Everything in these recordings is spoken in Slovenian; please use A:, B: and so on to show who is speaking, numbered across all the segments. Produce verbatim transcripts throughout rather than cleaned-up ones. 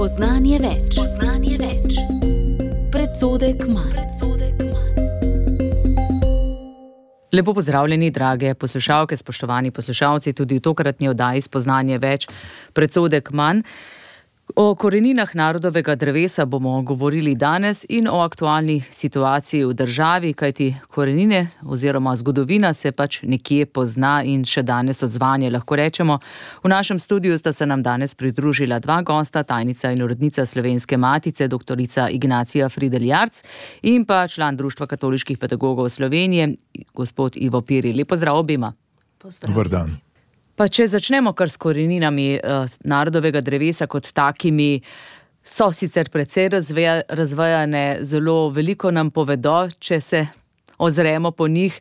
A: Spoznanje več. Spoznanje več. Predsodek manj.
B: Lepo pozdravljeni, drage poslušalke, spoštovani poslušalci, tudi v tokratni oddaji Spoznanje več, predsodek manj. O koreninah narodovega drevesa bomo govorili danes in o aktualni situaciji v državi, kajti korenine oziroma zgodovina se pač nekje pozna in še danes odzvanje, lahko rečemo. V našem studiu sta se nam danes pridružila dva gosta, tajnica in urednica Slovenske matice, doktorica Ignacija Fridl Jarc in pa član Društva katoliških pedagogov Slovenije, gospod Ivo Piri. Lep pozdrav obima.
C: Dober dan.
B: Pa če začnemo kar s koreninami uh, narodovega drevesa kot takimi, so sicer precej razveja, razvejane, zelo veliko nam povedo, če se ozremo po njih.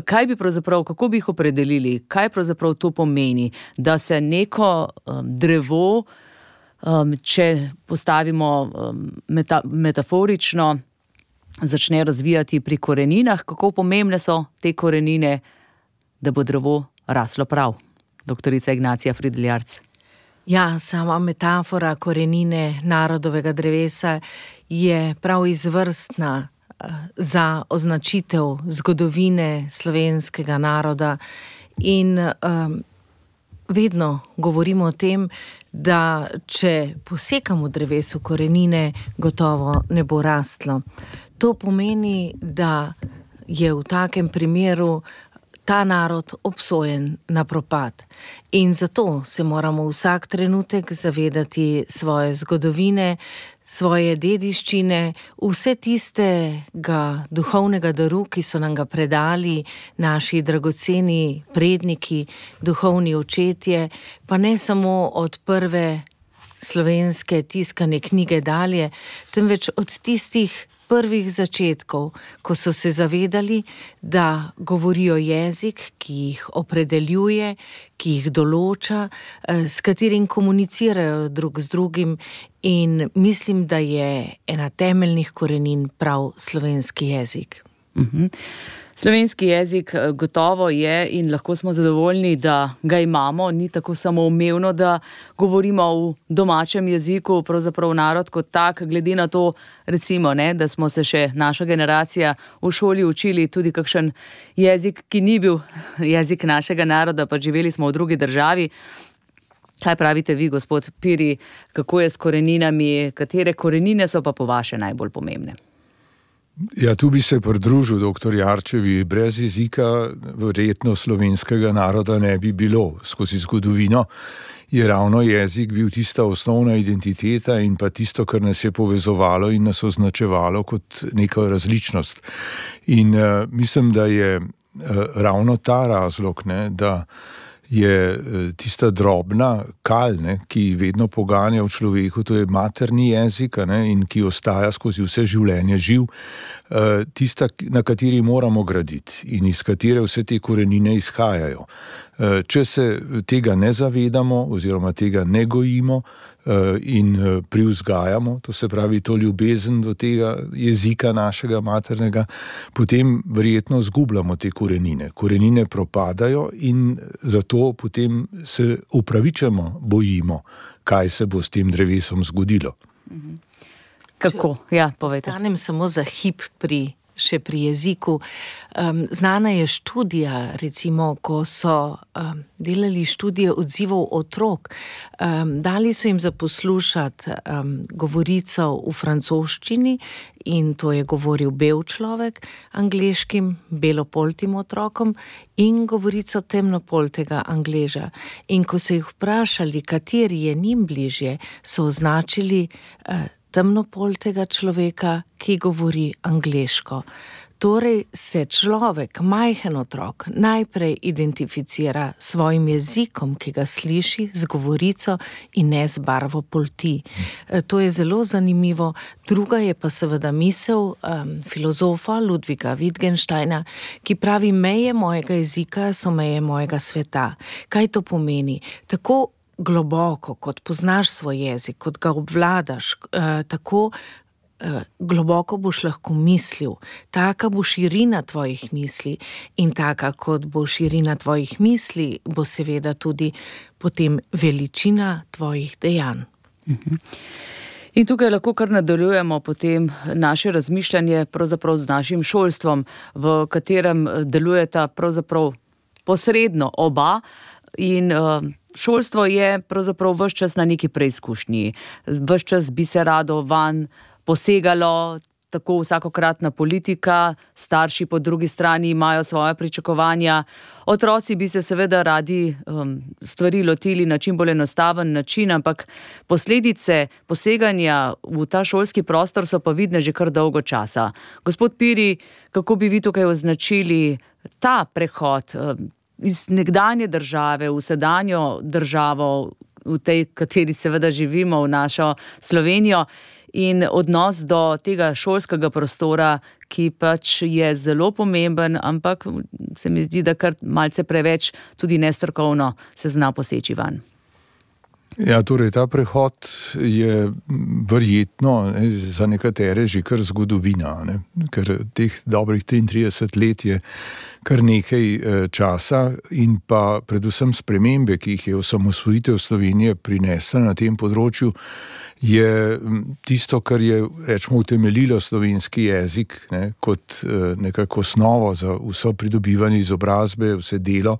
B: Kaj bi pravzaprav, kako bi jih opredelili, kaj pravzaprav to pomeni, da se neko um, drevo, um, če postavimo um, meta, metaforično, začne razvijati pri koreninah, kako pomembne so te korenine, da bo drevo raslo prav. Doktorica Ignacija Fridl Jarc.
D: Ja, sama metafora korenine narodovega drevesa je prav izvrstna za označitev zgodovine slovenskega naroda in um, vedno govorimo o tem, da če posekamo drevesu korenine, gotovo ne bo rastlo. To pomeni, da je v takem primeru ta narod obsojen na propad. In zato se moramo vsak trenutek zavedati svoje zgodovine, svoje dediščine, vse tistega duhovnega daru, ki so nam ga predali naši dragoceni predniki, duhovni očetje, pa ne samo od prve slovenske tiskane knjige dalje, temveč od tistih prvih začetkov, ko so se zavedali, da govorijo jezik, ki jih opredeljuje, ki jih določa, s katerim komunicirajo drug z drugim, in mislim, da je ena temeljnih korenin prav slovenski jezik.
B: Mhm. Slovenski jezik gotovo je in lahko smo zadovoljni, da ga imamo, ni tako samoumevno, da govorimo v domačem jeziku, pravzaprav narod kot tak, glede na to, recimo, ne, da smo se še naša generacija v šoli učili tudi kakšen jezik, ki ni bil jezik našega naroda, pa živeli smo v drugi državi. Kaj pravite vi, gospod Piri, kako je s koreninami, katere korenine so pa po vaše najbolj pomembne?
C: Ja, tu bi se pridružil doktor Jarčevi. Brez jezika verjetno slovenskega naroda ne bi bilo. Skozi zgodovino je ravno jezik bil tista osnovna identiteta in pa tisto, kar nas je povezovalo in nas označevalo kot neka različnost. In uh, mislim, da je uh, ravno ta razlog, ne, da je tista drobna kal, ne, ki vedno poganja v človeku, to je materni jezik, ne, in ki ostaja skozi vse življenje živ, tista, na kateri moramo graditi in iz katere vse te korenine izhajajo. Če se tega ne zavedamo oziroma tega ne gojimo in privzgajamo, to se pravi to ljubezen do tega jezika našega maternega, potem verjetno zgubljamo te korenine. Korenine propadajo in zato potem se upravičeno bojimo, kaj se bo s tem drevesom zgodilo.
B: Kako? Ja, povejte.
D: Ostanem samo za hip pri še pri jeziku. Um, znana je študija, recimo, ko so um, delali študije odzivov otrok, um, dali so jim zaposlušati um, govorico v francoščini in to je govoril bel človek, angleškim belopoltim otrokom in govorico temnopoltega Angleža. In ko so jih vprašali, kateri je njim bližje, so označili uh, temnopoltega človeka, ki govori angleško. Torej se človek, majhen otrok, najprej identificira s svojim jezikom, ki ga sliši, z govorico in ne z barvo polti. To je zelo zanimivo. Druga je pa seveda misel um, filozofa Ludviga Wittgensteina, ki pravi, meje mojega jezika so meje mojega sveta. Kaj to pomeni? Tako globoko, kot poznaš svoj jezik, kot ga obvladaš, eh, tako eh, globoko boš lahko mislil. Taka bo širina tvojih misli in taka, kot bo širina tvojih misli, bo seveda tudi potem veličina tvojih dejanj.
B: In tukaj lahko kar nadaljujemo potem naše razmišljanje pravzaprav z našim šolstvom, v katerem delujeta pravzaprav posredno oba in uh, šolstvo je pravzaprav ves čas na neki preizkušnji. Ves čas bi se rado van posegalo, tako vsakokratna politika, starši po drugi strani imajo svoje pričakovanja. Otroci bi se seveda radi um, stvari lotili na čim bolj enostaven način, ampak posledice poseganja v ta šolski prostor so pa vidne že kar dolgo časa. Gospod Piri, kako bi vi tukaj označili ta prehod um, iz nekdanje države v sedanjo državo, v tej, kateri seveda živimo, v našo Slovenijo, in odnos do tega šolskega prostora, ki pač je zelo pomemben, ampak se mi zdi, da kar malce preveč tudi nestrokovno se zna poseči van.
C: Ja, torej ta prehod je verjetno ne, za nekatere že kar zgodovina, ne, ker teh dobrih triintrideset let je kar nekaj e, časa in pa predvsem spremembe, ki jih je osamosvojitev Slovenije prinesla na tem področju, je tisto, kar je, rečemo, utemeljilo slovenski jezik, ne, kot e, nekako osnovo za vso pridobivanje izobrazbe, vse delo,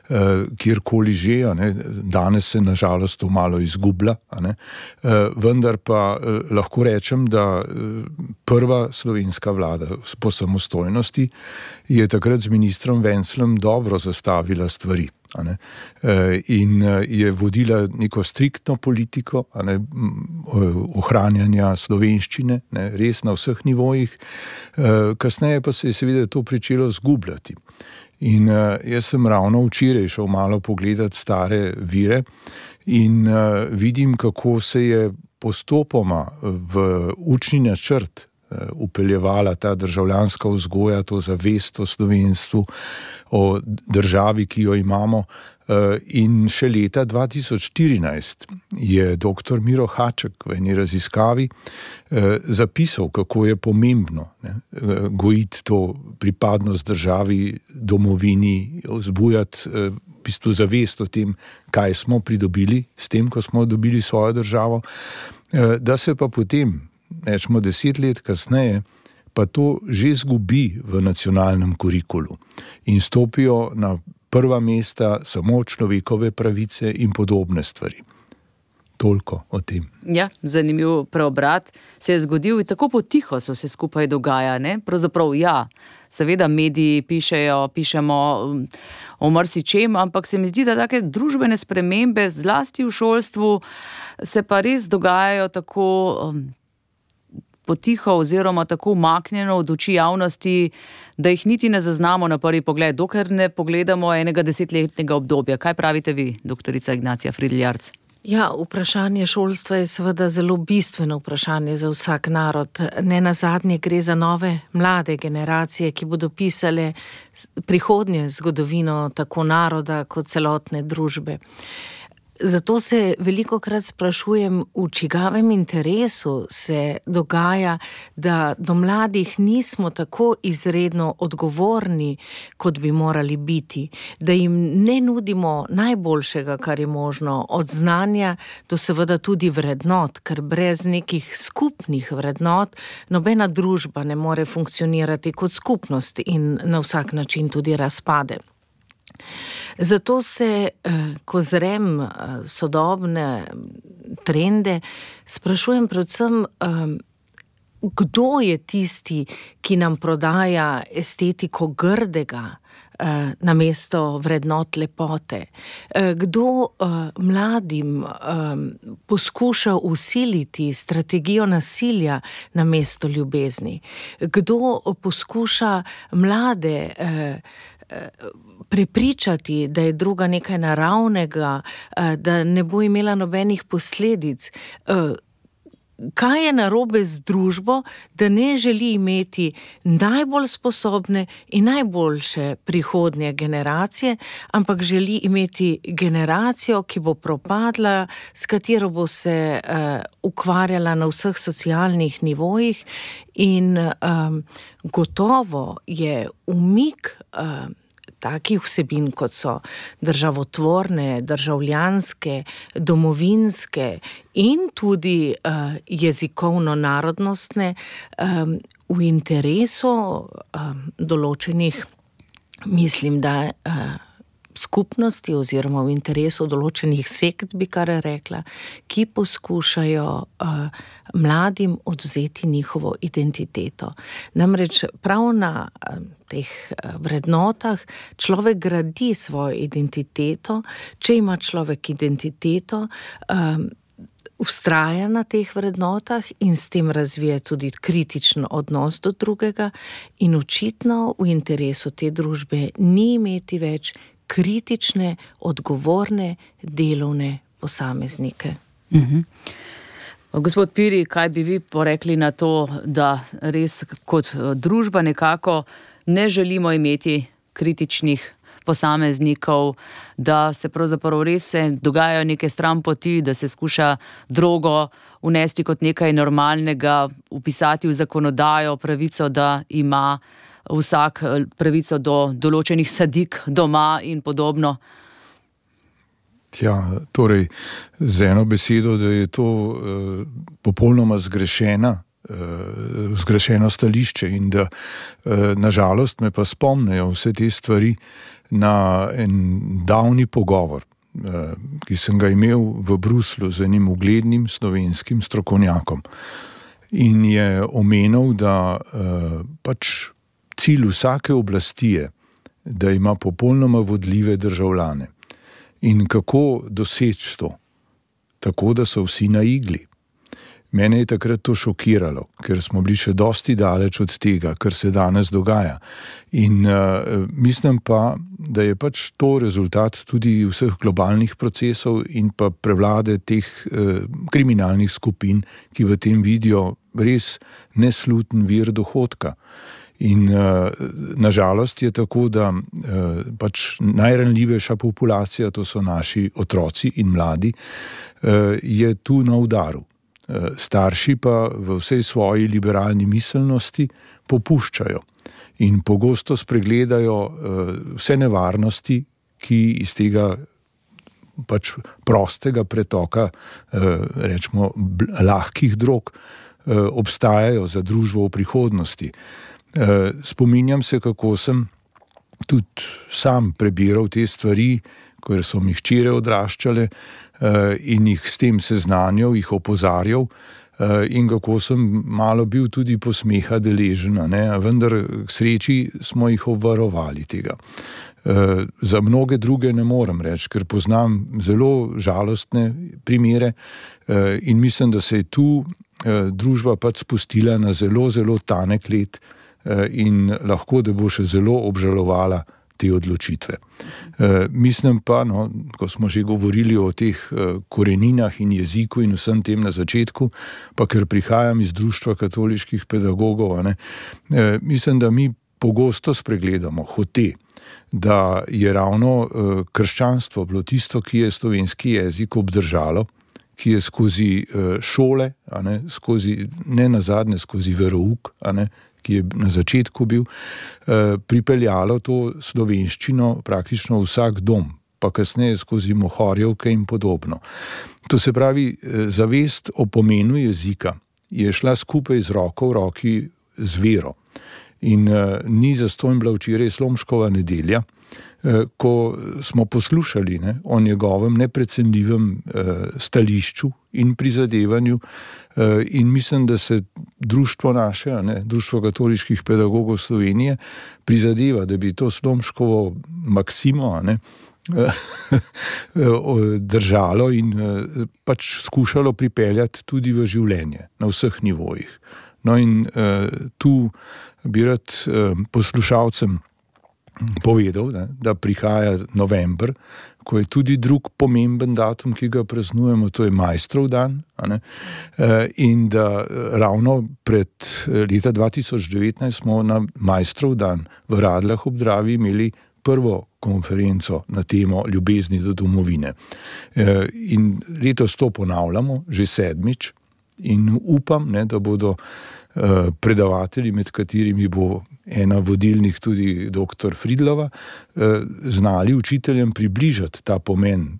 C: e, kjerkoli že, ne, danes se nažalost to malo izgublja, ne, e, vendar pa e, lahko rečem, da e, prva slovenska vlada po samostojnosti je takrat z ministrom Venclem dobro zastavila stvari. Ne, in je vodila neko striktno politiko, ne, ohranjanja slovenščine, ne, res na vseh nivojih, kasneje pa se je seveda to pričelo zgubljati. In jaz sem ravno včeraj šel malo pogledati stare vire in vidim, kako se je postopoma v učni načrt upeljevala ta državljanska vzgoja, to zavest o slovenstvu, o državi, ki jo imamo. In še leta dva tisoč štirinajst je doktor Miro Haček v eni raziskavi zapisal, kako je pomembno ne, gojiti to pripadnost državi, domovini, vzbujati v bistvu zavest o tem, kaj smo pridobili s tem, ko smo dobili svojo državo, da se pa potem rečemo deset let kasneje, pa to že zgubi v nacionalnem kurikulu in stopijo na prva mesta samo človekove pravice in podobne stvari. Toliko o tem.
B: Ja, zanimiv preobrat se je zgodil in tako potiho se vse skupaj dogaja, ne? Pravzaprav ja, seveda mediji pišejo, pišemo o marsičem, ampak se mi zdi, da take družbene spremembe, zlasti v šolstvu, se pa res dogajajo tako um, potiho oziroma tako umaknjeno od oči javnosti, da jih niti ne zaznamo na prvi pogled, dokler ne pogledamo enega desetletnega obdobja. Kaj pravite vi, doktorica Ignacija Fridl-Jarc?
D: Ja, vprašanje šolstva je seveda zelo bistveno vprašanje za vsak narod. Ne nazadnje gre za nove, mlade generacije, ki bodo pisale prihodnje zgodovino tako naroda kot celotne družbe. Zato se velikokrat sprašujem, v čigavem interesu se dogaja, da do mladih nismo tako izredno odgovorni, kot bi morali biti, da jim ne nudimo najboljšega, kar je možno, od znanja do seveda tudi vrednot, ker brez nekih skupnih vrednot nobena družba ne more funkcionirati kot skupnost in na vsak način tudi razpade. Zato se, ko zrem sodobne trende, sprašujem predvsem, kdo je tisti, ki nam prodaja estetiko grdega namesto vrednot lepote. Kdo mladim poskuša vsiliti strategijo nasilja namesto ljubezni. Kdo poskuša mlade prepričati, da je druga nekaj naravnega, da ne bo imela nobenih posledic. Kaj je narobe z družbo, da ne želi imeti najbolj sposobne in najboljše prihodnje generacije, ampak želi imeti generacijo, ki bo propadla, s katero bo se uh, ukvarjala na vseh socialnih nivojih in um, gotovo je umik uh, takih vsebin, kot so državotvorne, državljanske, domovinske in tudi uh, jezikovno-narodnostne um, v interesu um, določenih, mislim, da uh, skupnosti oziroma v interesu določenih sekt, bi kar rekla, ki poskušajo uh, mladim odvzeti njihovo identiteto. Namreč prav na uh, teh uh, vrednotah človek gradi svojo identiteto, če ima človek identiteto, um, vztraja na teh vrednotah in s tem razvije tudi kritičen odnos do drugega in očitno v interesu te družbe ni imeti več kritične, odgovorne, delovne posameznike.
B: Mhm. Gospod Piri, kaj bi vi porekli na to, da res kot družba nekako ne želimo imeti kritičnih posameznikov, da se pravzaprav res se dogajajo neke stranpoti, da se skuša drogo unesti kot nekaj normalnega, upisati v zakonodajo pravico, da ima vsak pravico do določenih sadik doma in podobno?
C: Ja, torej, z eno besedo, da je to uh, popolnoma zgrešena, uh, zgrešeno stališče in da uh, nažalost me pa spomnejo vse te stvari na en davni pogovor, uh, ki sem ga imel v Bruslju z enim uglednim slovenskim strokovnjakom. In je omenil, da uh, pač cilj vsake oblasti je, da ima popolnoma vodljive državljane. In kako doseči to? Tako, da so vsi na igli. Mene je takrat to šokiralo, ker smo bili še dosti daleč od tega, kar se danes dogaja. In uh, mislim pa, da je pač to rezultat tudi vseh globalnih procesov in pa prevlade teh uh, kriminalnih skupin, ki v tem vidijo res nesluten vir dohodka. In uh, nažalost je tako, da uh, pač najranljivejša populacija, to so naši otroci in mladi, uh, je tu na udaru. Uh, starši pa v vsej svoji liberalni miselnosti popuščajo in pogosto spregledajo uh, vse nevarnosti, ki iz tega pač prostega pretoka, uh, rečemo, lahkih drog, uh, obstajajo za družbo v prihodnosti. Spominjam se, kako sem tudi sam prebiral te stvari, ker so mi hčere odraščale in jih s tem seznanjal, jih opozarjal in kako sem malo bil tudi posmeha deležen, ne? Vendar k sreči smo jih obvarovali tega. Za mnoge druge ne morem reči, ker poznam zelo žalostne primere in mislim, da se je tu družba pač spustila na zelo, zelo tanek led in lahko, da bo še zelo obžalovala te odločitve. E, mislim pa, no, ko smo že govorili o teh koreninah in jeziku in vsem tem na začetku, pa ker prihajam iz Društva katoliških pedagogov, ne, e, mislim, da mi pogosto spregledamo hote, da je ravno e, krščanstvo bilo tisto, ki je slovenski jezik obdržalo, ki je skozi e, šole, a ne, skozi, ne nazadnje skozi verouk, a ne, ki je na začetku bil, pripeljalo to slovenščino praktično vsak dom, pa kasneje skozi mohorjevke in podobno. To se pravi, zavest o pomenu jezika je šla skupaj z roko v roki z vero. In ni zastonj bila včeraj Slomškova nedelja, ko smo poslušali, ne, o njegovem neprecenljivem stališču in prizadevanju in mislim, da se društvo naše, ne, Društvo katoliških pedagogov Slovenije prizadeva, da bi to Slomškovo maksimo, ne, držalo in pač skušalo pripeljati tudi v življenje na vseh nivojih. No in tu bi rad poslušalcem povedal, ne, da prihaja november, ko je tudi drug pomemben datum, ki ga praznujemo, to je Maistrov dan, a ne, in da ravno pred leta dva tisoč devetnajst smo na Maistrov dan v Radljah ob Dravi imeli prvo konferenco na temo ljubezni do domovine. In letos to ponavljamo, že sedmič, In upam, ne, da bodo uh, predavatelji, med katerimi bo ena vodilnih tudi doktor Fridlova, uh, znali učiteljem približati ta pomen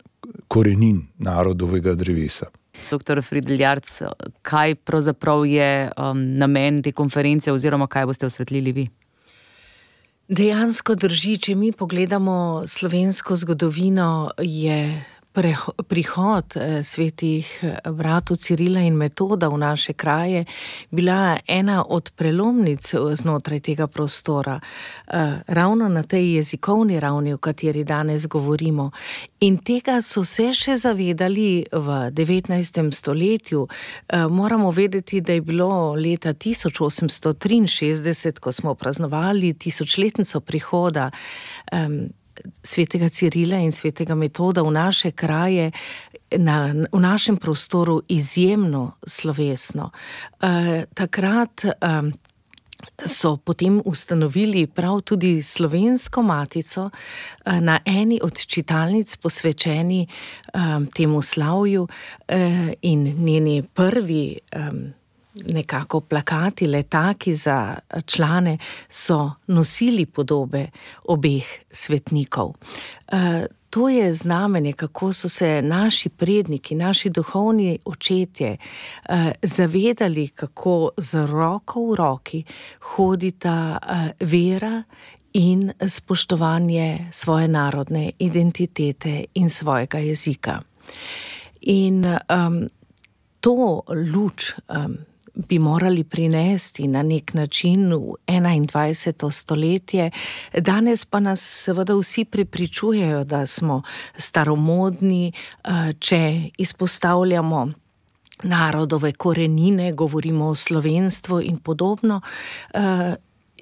C: korenin narodovega drevesa.
B: Doktor Fridl Jarc, kaj pravzaprav je um, namen te konference oziroma kaj boste osvetlili vi?
D: Dejansko drži, če mi pogledamo slovensko zgodovino, je prihod svetih bratov Cirila in Metoda v naše kraje bila ena od prelomnic znotraj tega prostora, ravno na tej jezikovni ravni, o kateri danes govorimo. In tega so se še zavedali v devetnajstem stoletju. Moramo vedeti, da je bilo leta tisoč osemsto triinšestdeset, ko smo praznovali tisočletnico prihoda svetega Cirila in svetega Metoda v naše kraje, na, v našem prostoru izjemno slovesno. E, takrat e, so potem ustanovili prav tudi Slovensko matico e, na eni od čitalnic posvečeni e, temu slavju e, in njeni prvi e, nekako plakati, letaki za člane so nosili podobe obeh svetnikov. E, to je znamenje, kako so se naši predniki, naši duhovni očetje e, zavedali, kako z roko v roki hodita e, vera in spoštovanje svoje narodne identitete in svojega jezika. In um, to luč um, bi morali prinesti na nek način v enaindvajseto stoletje. Danes pa nas seveda vsi prepričujejo, da smo staromodni, če izpostavljamo narodove korenine, govorimo o slovenstvu in podobno,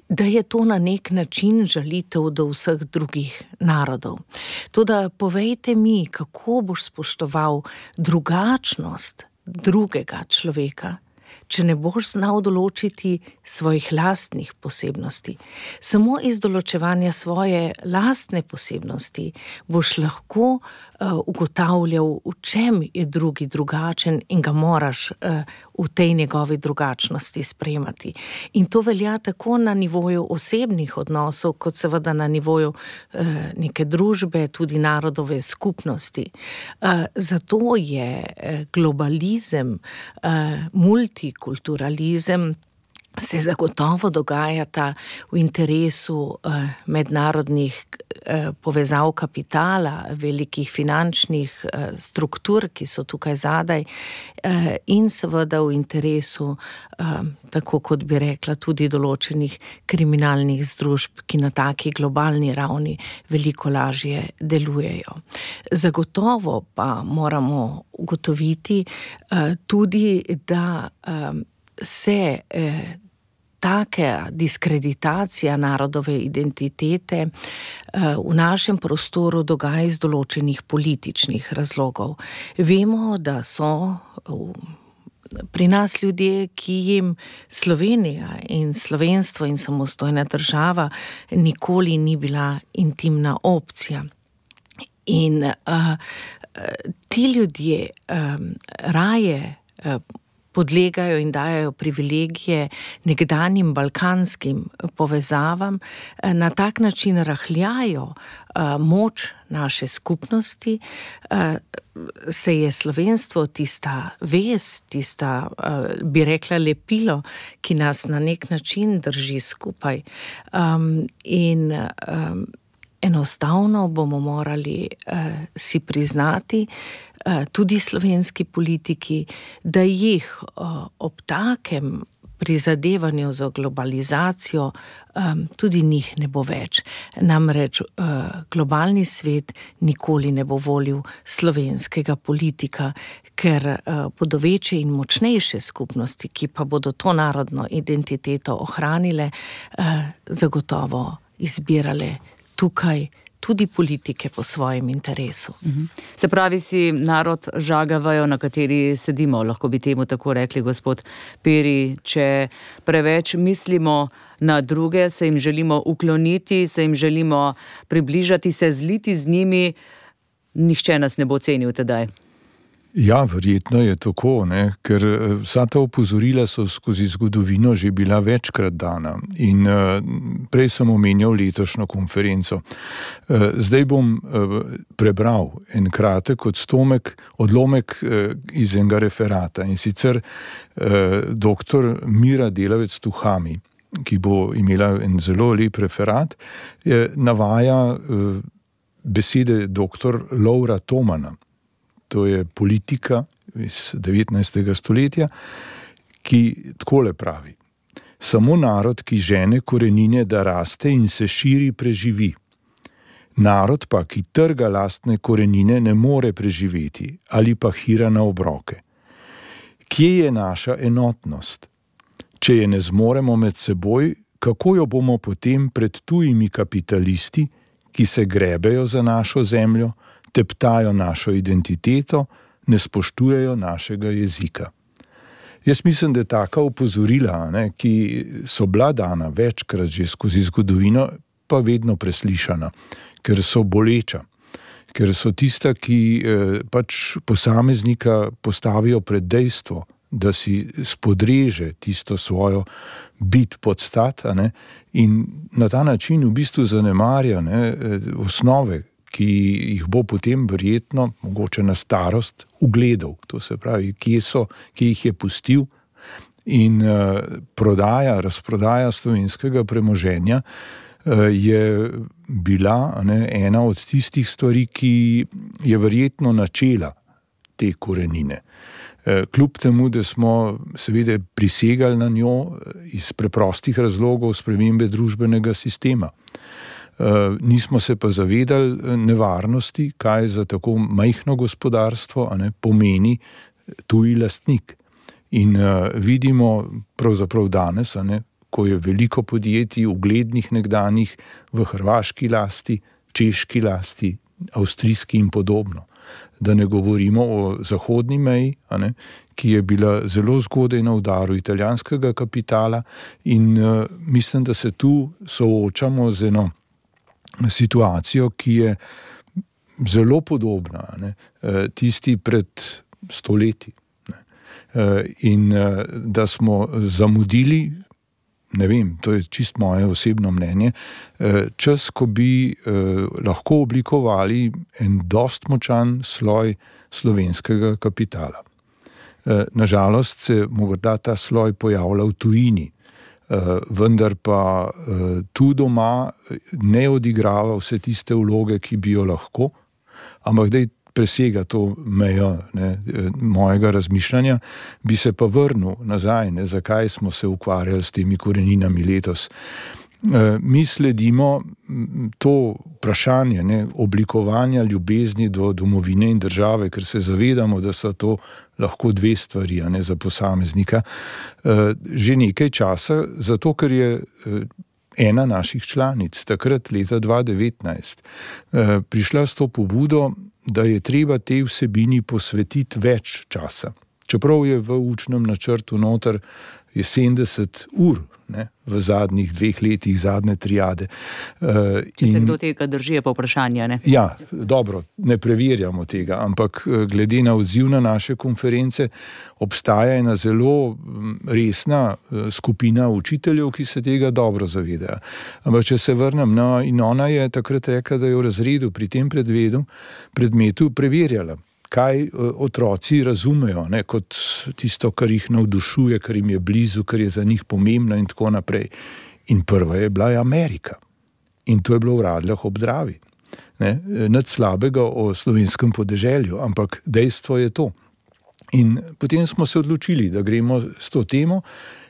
D: da je to na nek način žalitev do vseh drugih narodov. Toda povejte mi, kako boš spoštoval drugačnost drugega človeka, če ne boš znal določiti svojih lastnih posebnosti. Samo iz določevanja svoje lastne posebnosti boš lahko uh, ugotavljal, v čem je drugi drugačen in ga moraš uh, v tej njegovi drugačnosti sprejemati. In to velja tako na nivoju osebnih odnosov, kot seveda na nivoju uh, neke družbe, tudi narodove skupnosti. Uh, zato je uh, globalizem, uh, multikulturalizem se zagotovo dogajata v interesu eh, mednarodnih eh, povezav kapitala, velikih finančnih eh, struktur, ki so tukaj zadaj, eh, in seveda v interesu, eh, tako kot bi rekla, tudi določenih kriminalnih združb, ki na taki globalni ravni veliko lažje delujejo. Zagotovo pa moramo ugotoviti eh, tudi, da eh, se eh, taka diskreditacija narodove identitete v našem prostoru dogaja iz določenih političnih razlogov. Vemo, da so pri nas ljudje, ki jim Slovenija in slovenstvo in samostojna država nikoli ni bila intimna opcija. In uh, ti ljudje um, raje uh, podlegajo in dajajo privilegije nekdanjim balkanskim povezavam, na tak način rahljajo moč naše skupnosti, se je slovenstvo tista vez, tista, bi rekla, lepilo, ki nas na nek način drži skupaj. In enostavno bomo morali si priznati, tudi slovenski politiki, da jih ob takem prizadevanju za globalizacijo tudi njih ne bo več. Namreč globalni svet nikoli ne bo volil slovenskega politika, ker bodo večje in močnejše skupnosti, ki pa bodo to narodno identiteto ohranile, zagotovo izbirale tukaj tudi politike po svojem interesu.
B: Se pravi, si narod žagavajo, na kateri sedimo, lahko bi temu tako rekli, gospod Peri, če preveč mislimo na druge, se jim želimo ukloniti, se jim želimo približati, se zliti z njimi, nihče nas ne bo cenil tedaj.
C: Ja, verjetno je tako, ne? Ker vsa ta opozorila so skozi zgodovino že bila večkrat dana in uh, prej sem omenjal letošnjo konferenco. Uh, zdaj bom uh, prebral en kratek odstomek, odlomek uh, iz enega referata in sicer uh, doktor Mira Delavec-Tuhami, ki bo imela en zelo lep referat, je, navaja uh, besede doktor Lovra Tomana. To je politika iz devetnajstega stoletja, ki takole pravi. Samo narod, ki žene korenine, da raste in se širi, preživi. Narod pa, ki trga lastne korenine, ne more preživeti ali pa hira na obroke. Kje je naša enotnost? Če je ne zmoremo med seboj, kako jo bomo potem pred tujimi kapitalisti, ki se grebejo za našo zemljo, teptajo našo identiteto, ne spoštujejo našega jezika. Jaz mislim, da je taka opozorila, ne, ki so bila dana večkrat že skozi zgodovino, pa vedno preslišana, ker so boleča, ker so tista, ki eh, pač posameznika postavijo pred dejstvo, da si spodreže tisto svojo bit podstat, ne, in na ta način v bistvu zanemarja ne, osnove, ki jih bo potem verjetno, mogoče na starost, ugledal. To se pravi, kje so, kje jih je pustil in uh, prodaja, razprodaja slovenskega premoženja uh, je bila ne, ena od tistih stvari, ki je verjetno načela te korenine. Uh, kljub temu, da smo seveda prisegali na njo iz preprostih razlogov spremembe družbenega sistema. Uh, nismo se pa zavedali nevarnosti, kaj za tako majhno gospodarstvo a ne, pomeni tuji lastnik. In uh, vidimo pravzaprav danes, a ne, ko je veliko podjetij, uglednih nekdanjih v hrvaški lasti, češki lasti, avstrijski in podobno. Da ne govorimo o zahodni meji, a ne, ki je bila zelo zgodaj na udaru italijanskega kapitala in uh, mislim, da se tu soočamo z eno situacijo, ki je zelo podobna ne, tisti pred stoletji. Ne. In da smo zamudili, ne vem, to je čist moje osebno mnenje, čas, ko bi lahko oblikovali en dost močan sloj slovenskega kapitala. Nažalost se morda ta sloj pojavlja v tujini, Uh, vendar pa uh, tu doma ne odigrava vse tiste vloge, ki bi jo lahko, ampak da presega to mejo ne, mojega razmišljanja, bi se pa vrnil nazaj, ne, zakaj smo se ukvarjali s temi koreninami letos. Uh, mi sledimo to vprašanje ne, oblikovanja ljubezni do domovine in države, ker se zavedamo, da so to lahko dve stvari, a ne za posameznika, že nekaj časa, zato ker je ena naših članic, takrat leta dva tisoč devetnajst, prišla s to pobudo, da je treba tej vsebini posvetiti več časa. Čeprav je v učnem načrtu noter je sedemdeset ur, ne, v zadnjih dveh letih, zadnje triade. Uh,
B: Če se in, kdo tega drži, je pa vprašanje, ne?
C: Ja, dobro, ne preverjamo tega, ampak glede na odziv na naše konference obstaja ena zelo resna skupina učiteljev, ki se tega dobro zavedajo. Ampak če se vrnem, no, in ona je takrat rekla, da je v razredu pri tem predmetu, predmetu preverjala, kaj otroci razumejo, ne, kot tisto, kar jih navdušuje, kar jim je blizu, kar je za njih pomembno in tako naprej. In prva je bila Amerika. In to je bilo v Radljah ob Dravi. Ne, nič slabega o slovenskem podeželju, ampak dejstvo je to. In potem smo se odločili, da gremo s to temo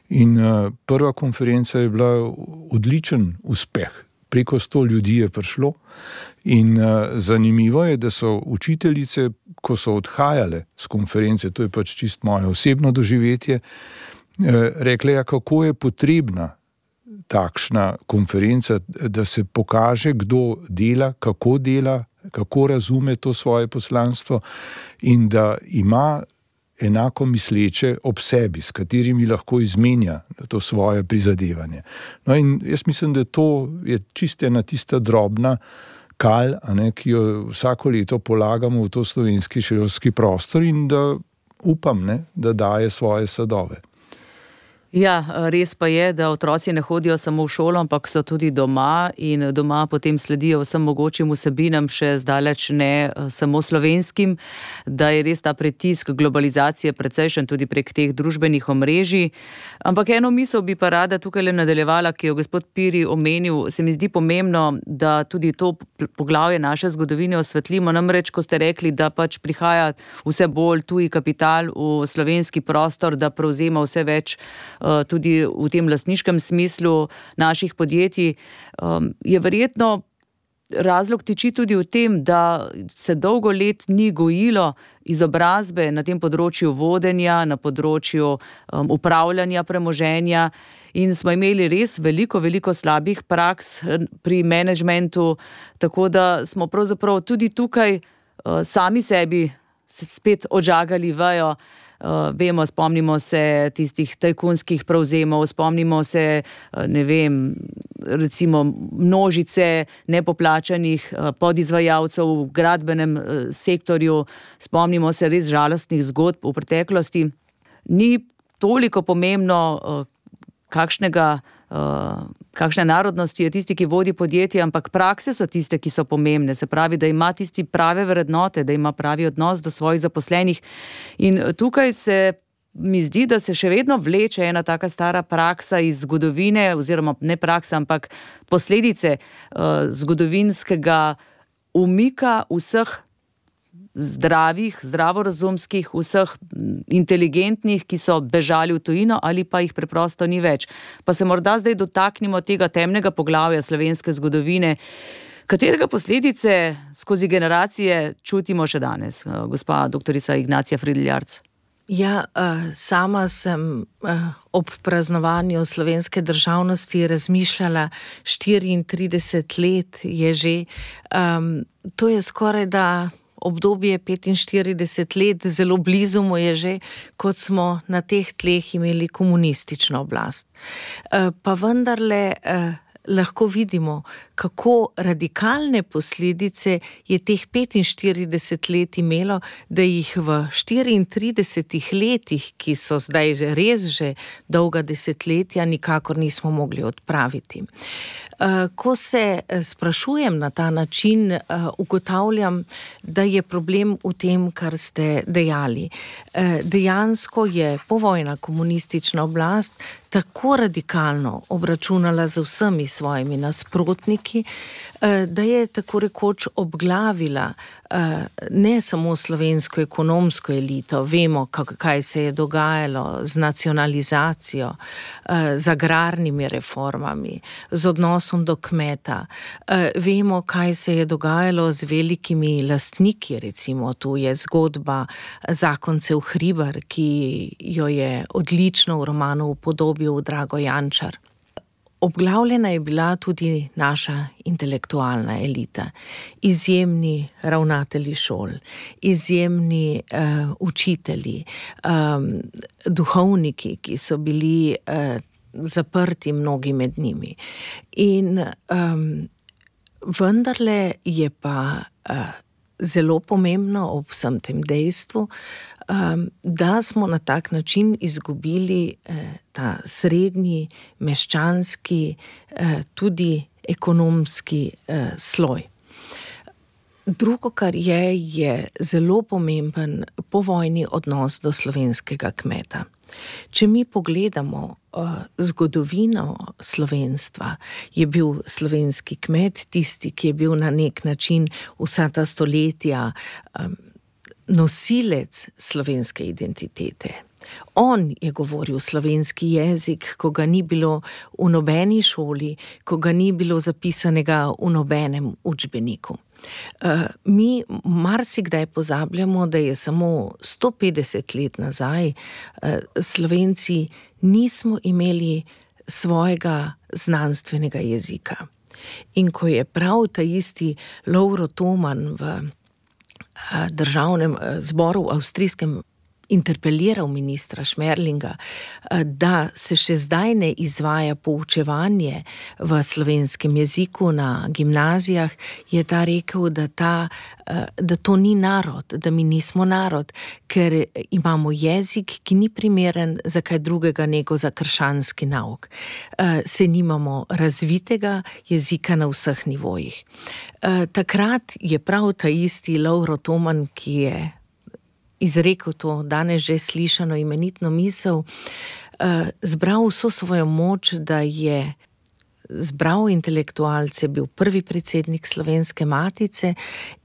C: in uh, prva konferenca je bila odličen uspeh. Preko sto ljudi je prišlo in uh, zanimivo je, da so učiteljice, ko so odhajale z konference, to je pač čist moje osebno doživetje, uh, rekle, ja, kako je potrebna takšna konferenca, da se pokaže, kdo dela, kako dela, kako razume to svoje poslanstvo in da ima enako misleče ob sebi, s katerimi lahko izmenja to svoje prizadevanje. No in jaz mislim, da to je čisto ena tista drobna kal, a ne, ki jo vsako leto polagamo v to slovenski šolski prostor in da upam, ne, da daje svoje sadove.
B: Ja, res pa je, da otroci ne hodijo samo v šolo, ampak so tudi doma in doma potem sledijo vsem mogočim vsebinam, še zdaleč ne samo slovenskim, da je res ta pritisk globalizacije precejšen tudi prek teh družbenih omrežij. Ampak eno misel bi pa rada tukaj le nadaljevala, ki jo gospod Piri omenil, se mi zdi pomembno, da tudi to poglavje naše zgodovine osvetlimo, namreč, ko ste rekli, da pač prihaja vse bolj tuji kapital v slovenski prostor, da prevzema vse več tudi v tem lastniškem smislu naših podjetij, je verjetno razlog tiči tudi v tem, da se dolgo let ni gojilo izobrazbe na tem področju vodenja, na področju upravljanja premoženja in smo imeli res veliko, veliko slabih praks pri menedžmentu, tako da smo pravzaprav tudi tukaj sami sebi spet odžagali vejo. Uh, vemo, spomnimo se tistih tajkunskih prevzemov, spomnimo se, uh, ne vem, recimo množice nepoplačanih uh, podizvajalcev v gradbenem uh, sektorju, spomnimo se res žalostnih zgodb v preteklosti. Ni toliko pomembno, uh, kakšnega Uh, kakšne narodnosti je tisti, ki vodi podjetje, ampak prakse so tiste, ki so pomembne. Se pravi, da ima tisti prave vrednote, da ima pravi odnos do svojih zaposlenih. In tukaj se mi zdi, da se še vedno vleče ena taka stara praksa iz zgodovine, oziroma ne praksa, ampak posledice uh, zgodovinskega umika vseh zdravih, zdravorazumskih, vseh inteligentnih, ki so bežali v tujino ali pa jih preprosto ni več. Pa se morda zdaj dotaknimo tega temnega poglavja slovenske zgodovine, katerega posledice skozi generacije čutimo še danes, gospa doktorica Ignacija Fridl-Jarc.
D: Ja, sama sem ob praznovanju slovenske državnosti razmišljala, štiriintrideset let je že, um, to je skoraj da obdobje petinštirideset let, zelo blizu mu je že, kot smo na teh tleh imeli komunistično oblast. Pa vendarle lahko vidimo, kako radikalne posledice je teh petinštirideset let imelo, da jih v štiriintridesetih letih, ki so zdaj že res že dolga desetletja, nikakor nismo mogli odpraviti. Ko se sprašujem na ta način, ugotavljam, da je problem v tem, kar ste dejali. Dejansko je povojna komunistična oblast tako radikalno obračunala z vsemi svojimi nasprotniki, da je tako rekoč obglavila ne samo slovensko ekonomsko elito, vemo, kaj se je dogajalo z nacionalizacijo, z agrarnimi reformami, z odnosom do kmeta. Vemo, kaj se je dogajalo z velikimi lastniki, recimo tu je zgodba zakoncev Hribar, ki jo je odlično v romanu upodobil Drago Jančar. Obglavljena je bila tudi naša intelektualna elita, izjemni ravnatelji šol, izjemni uh, učitelji, um, duhovniki, ki so bili uh, zaprti, mnogi med njimi. In um, vendarle je pa uh, zelo pomembno ob vsem tem dejstvu, Um, da smo na tak način izgubili eh, ta srednji, meščanski, eh, tudi ekonomski eh, sloj. Drugo, kar je, je zelo pomemben povojni odnos do slovenskega kmeta. Če mi pogledamo uh, zgodovino slovenstva, je bil slovenski kmet tisti, ki je bil na nek način vsa ta stoletja um, nosilec slovenske identitete. On je govoril slovenski jezik, ko ga ni bilo v nobeni šoli, ko ga ni bilo zapisanega v nobenem učbeniku. Uh, mi marsikdaj pozabljamo, da je samo sto petdeset let nazaj uh, Slovenci nismo imeli svojega znanstvenega jezika. In ko je prav ta isti Lovro Toman v državnem zboru v avstrijskem interpeliral ministra Šmerlinga, da se še zdaj ne izvaja poučevanje v slovenskem jeziku na gimnazijah, je ta rekel, da, ta, da to ni narod, da mi nismo narod, ker imamo jezik, ki ni primeren za kaj drugega nego za krščanski nauk. Se nimamo razvitega jezika na vseh nivojih. Takrat je prav ta isti Lovro Toman, ki je izrekel to danes že slišano imenitno misel, zbral vso svojo moč, da je zbral intelektualce, bil prvi predsednik Slovenske matice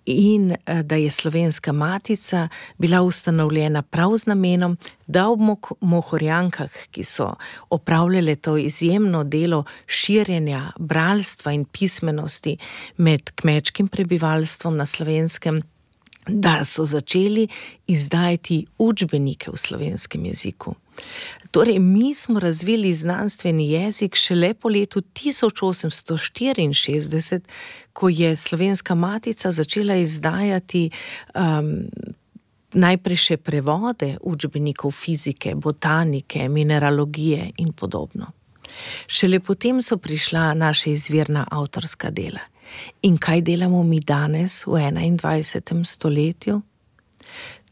D: in da je Slovenska matica bila ustanovljena prav z namenom, da ob Mohorjankah, ki so opravljale to izjemno delo širjenja bralstva in pismenosti med kmečkim prebivalstvom na Slovenskem, da so začeli izdajati učbenike v slovenskem jeziku. Torej, mi smo razvili znanstveni jezik šele po letu tisoč osemsto štiriinšestdeset, ko je Slovenska matica začela izdajati um, najprej še prevode učbenikov fizike, botanike, mineralogije in podobno. Šele potem so prišla naša izvirna avtorska dela. In kaj delamo mi danes v enaindvajsetem stoletju?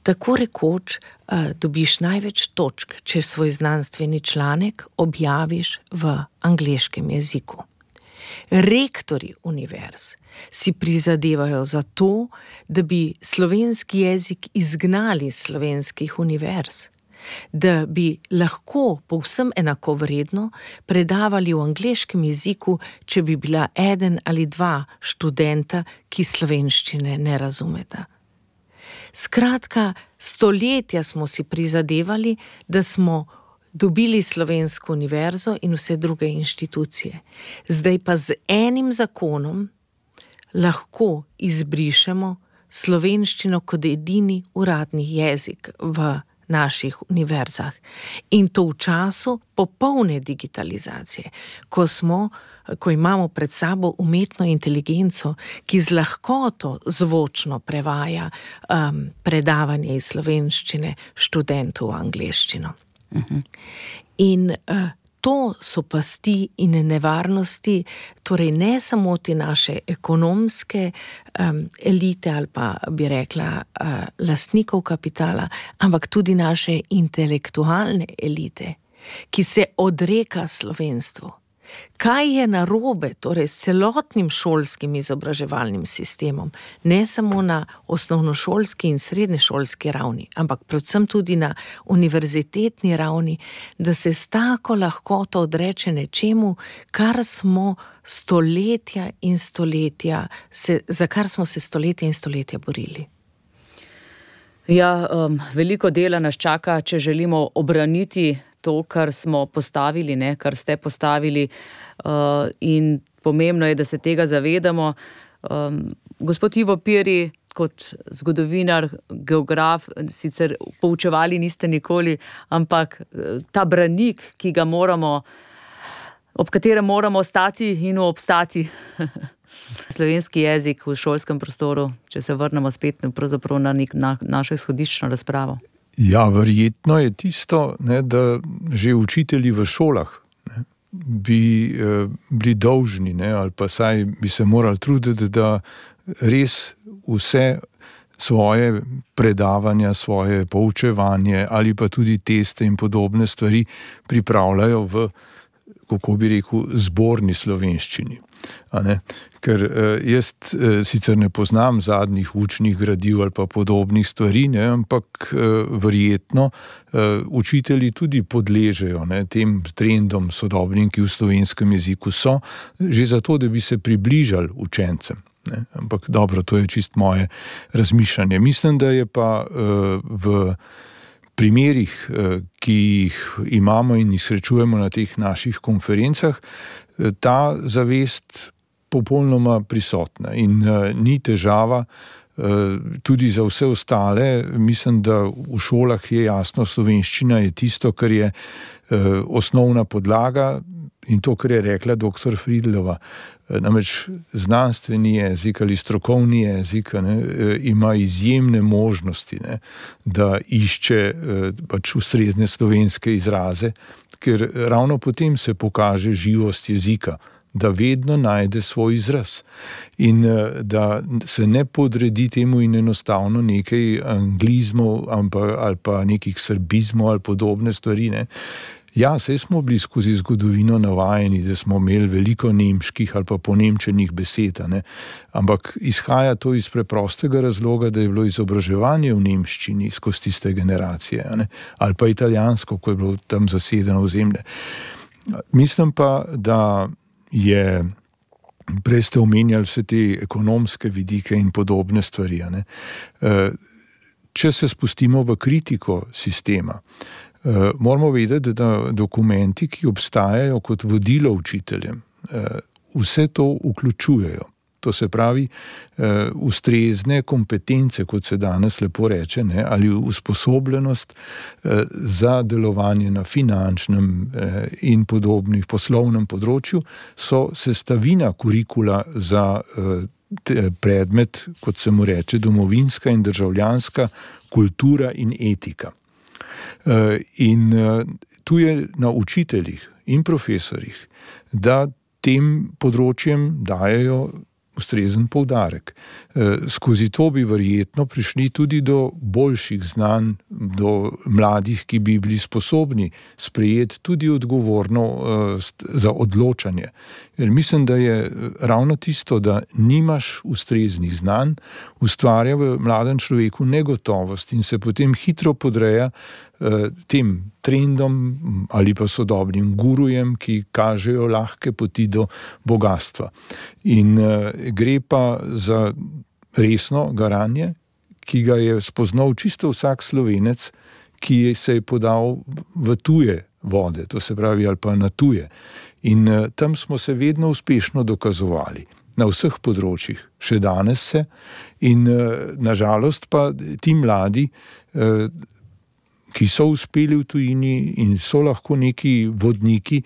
D: Tako rekoč uh, dobiš največ točk, če svoj znanstveni članek objaviš v angleškem jeziku. Rektorji univerz si prizadevajo za to, da bi slovenski jezik izgnali iz slovenskih univerz, da bi lahko povsem enakovredno predavali v angleškem jeziku, če bi bila eden ali dva študenta, ki slovenščine ne razumeta. Skratka, stoletja smo si prizadevali, da smo dobili slovensko univerzo in vse druge inštitucije. Zdaj pa z enim zakonom lahko izbrišemo slovenščino kot edini uradni jezik v naših univerzah. In to v času popolne digitalizacije, ko smo, ko imamo pred sabo umetno inteligenco, ki z lahkoto zvočno prevaja um, predavanje iz slovenščine študentov v angleščino. Uh-huh. In uh, to so pasti in nevarnosti, torej ne samo te naše ekonomske um, elite ali pa bi rekla uh, lastnikov kapitala, ampak tudi naše intelektualne elite, ki se odreka slovenstvu. Kaj je narobe, torej s celotnim šolskim izobraževalnim sistemom, ne samo na osnovnošolski in srednješolski ravni, ampak predvsem tudi na univerzitetni ravni, da se s tako lahkoto odreče nečemu, kar smo stoletja in stoletja, se, za kar smo se stoletja in stoletja borili.
B: Ja, um, veliko dela nas čaka, če želimo obraniti to, kar smo postavili, ne, kar ste postavili, uh, in pomembno je, da se tega zavedamo. Um, gospod Ivo Piri, kot zgodovinar, geograf, sicer poučevali niste nikoli, ampak ta branik, ki ga moramo, ob katerem moramo stati in obstati. Slovenski jezik v šolskem prostoru, če se vrnemo spet pravzaprav na, nek, na našo izhodiščno razpravo.
C: Ja, verjetno je tisto, ne, da že učitelji v šolah ne, bi eh, bili dolžni, ne, ali pa saj bi se morali truditi, da res vse svoje predavanja, svoje poučevanje ali pa tudi teste in podobne stvari pripravljajo v, kako bi rekel, zborni slovenščini. A ne? Ker eh, jaz eh, sicer ne poznam zadnjih učnih gradiv ali pa podobnih stvari, ne, ampak eh, verjetno eh, učitelji tudi podležejo ne, tem trendom sodobnim, ki v slovenskem jeziku so, že zato, da bi se približali učencem. Ne. Ampak dobro, to je čist moje razmišljanje. Mislim, da je pa eh, v primerih, eh, ki jih imamo in jih srečujemo na teh naših konferencah, ta zavest popolnoma prisotna in uh, ni težava uh, tudi za vse ostale. Mislim, da v šolah je jasno, slovenščina je tisto, kar je uh, osnovna podlaga, in to, kar je rekla doktor Friedlova, namreč znanstveni jezik ali strokovni jezik ne, ima izjemne možnosti, ne, da išče pač ustrezne slovenske izraze, ker ravno potem se pokaže živost jezika, da vedno najde svoj izraz in da se ne podredi temu in enostavno nekaj anglizmov ali pa nekih srbizmov ali podobne stvari, ne. Ja, saj smo bili skozi zgodovino navajeni, da smo imeli veliko nemških ali pa ponemčenih besed, ne? Ampak izhaja to iz preprostega razloga, da je bilo izobraževanje v nemščini skozi tiste generacije, ne? Ali pa italijansko, ko je bilo tam zasedeno ozemlje. Mislim pa, da je, prej ste omenjali vse te ekonomske vidike in podobne stvari, ne? Če se spustimo v kritiko sistema, Uh, moramo vedeti, da dokumenti, ki obstajajo kot vodilo učiteljem, uh, vse to vključujejo. To se pravi, uh, ustrezne kompetence, kot se danes lepo reče, ne, ali usposobljenost uh, za delovanje na finančnem uh, in podobnih poslovnem področju, so sestavina kurikula za uh, predmet, kot se mu reče, domovinska in državljanska kultura in etika. In tu je na učiteljih in profesorjih, da tem področjem dajejo ustrezen poudarek. Skozi to bi verjetno prišli tudi do boljših znanj, do mladih, ki bi bili sposobni sprejeti tudi odgovornost za odločanje. Jer mislim, da je ravno tisto, da nimaš ustreznih znanj, ustvarja v mladem človeku negotovost in se potem hitro podreja tem trendom ali pa sodobnim gurujem, ki kažejo lahke poti do bogatstva. In uh, gre pa za resno garanje, ki ga je spoznal čisto vsak Slovenec, ki se je podal v tuje vode, to se pravi ali pa na tuje. In uh, tam smo se vedno uspešno dokazovali. Na vseh področjih, še danes se. In uh, nažalost pa ti mladi uh, ki so uspeli v tujini in so lahko neki vodniki,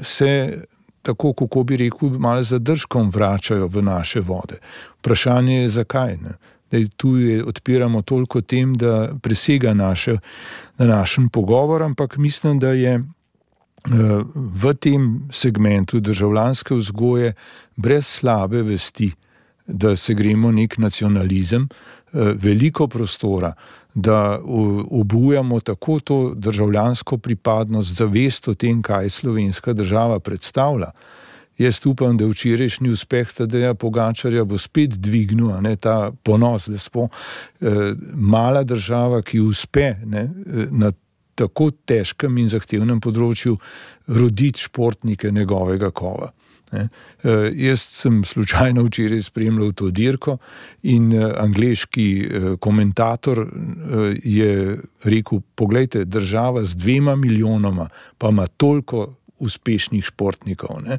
C: se tako, kako bi rekel, malo zadržkom vračajo v naše vode. Vprašanje je, zakaj, ne? Da tu je, odpiramo toliko tem, da presega naše, na našem pogovor, ampak mislim, da je v tem segmentu državljanske vzgoje brez slabe vesti, da se gremo nek nacionalizem, veliko prostora, da obujamo tako to državljansko pripadnost, zavest o tem, kaj slovenska država predstavlja. Jaz upam, da včerajšnji uspeh Tadeja Pogačarja bo spet dvignil, ne, ta ponos, da smo eh, mala država, ki uspe, ne, na tako težkem in zahtevnem področju roditi športnike njegovega kova. Ne. Uh, jaz sem slučajno včeraj spremljal to dirko in uh, angleški uh, komentator uh, je rekel, poglejte, država z dvema milijonoma pa ima toliko uspešnih športnikov. Ne.